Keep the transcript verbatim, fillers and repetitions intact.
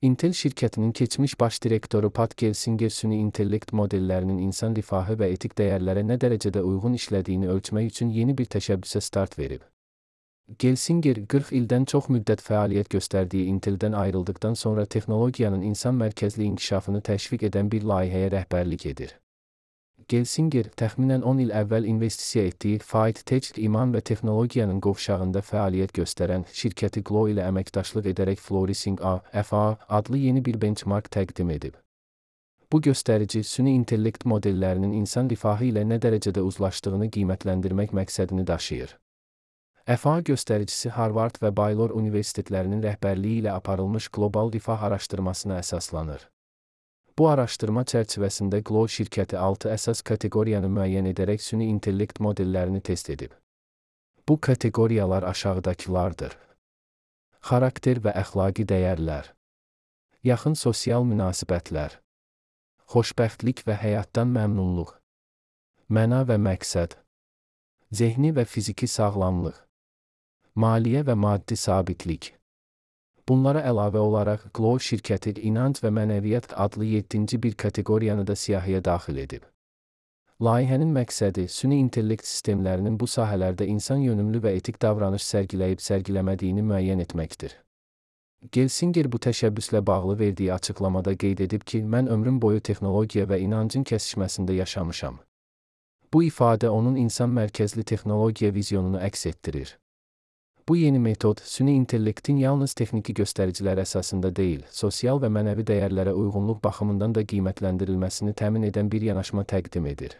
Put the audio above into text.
Intel şirkətinin keçmiş baş direktoru Pat Gelsinger süni intellekt modellərinin insan rifahı və etik dəyərlərə nə dərəcədə uyğun işlədiyini ölçmək üçün yeni bir təşəbbüsə start verib. Gelsinger, qırx ildən çox müddət fəaliyyət göstərdiyi Inteldən ayrıldıqdan sonra texnologiyanın insan mərkəzli inkişafını təşviq edən bir layihəyə rəhbərlik edir. Gelsinger, təxminən on il əvvəl investisiya etdiyi Fight Tech İman və Texnologiyanın qovşağında fəaliyyət göstərən şirkəti Glo ilə əməkdaşlıq edərək Flourishing A F A adlı yeni bir benchmark təqdim edib. Bu göstərici, süni intellekt modellərinin insan rifahı ilə nə dərəcədə uzlaşdığını qiymətləndirmək məqsədini daşıyır. F A göstəricisi Harvard və Baylor universitetlərinin rəhbərliyi ilə aparılmış qlobal rifah araşdırmasına əsaslanır. Bu araşdırma çərçivəsində Glo şirkəti altı əsas kateqoriyanı müəyyən edərək süni intellekt modellərini test edib. Bu kateqoriyalar aşağıdakılardır: xarakter və əxlaqi dəyərlər, yaxın sosial münasibətlər, xoşbəxtlik və həyatdan məmnunluq, məna və məqsəd, zehni və fiziki sağlamlıq, maliyyə və maddi sabitlik. Bunlara əlavə olaraq, Glo şirkəti İnanc və Mənəviyyat adlı yeddinci bir kateqoriyanı da siyahıya daxil edib. Layihənin məqsədi, süni intellekt sistemlərinin bu sahələrdə insan yönümlü və etik davranış sərgiləyib sərgiləmədiyini müəyyən etməkdir. Gelsinger bu təşəbbüslə bağlı verdiyi açıqlamada qeyd edib ki, mən ömrüm boyu texnologiya və inancın kəsişməsində yaşamışam. Bu ifadə onun insan mərkəzli texnologiya vizyonunu əks etdirir. Bu yeni metod, süni intellektin yalnız texniki göstəricilər əsasında deyil, sosial və mənəvi dəyərlərə uyğunluq baxımından da qiymətləndirilməsini təmin edən bir yanaşma təqdim edir.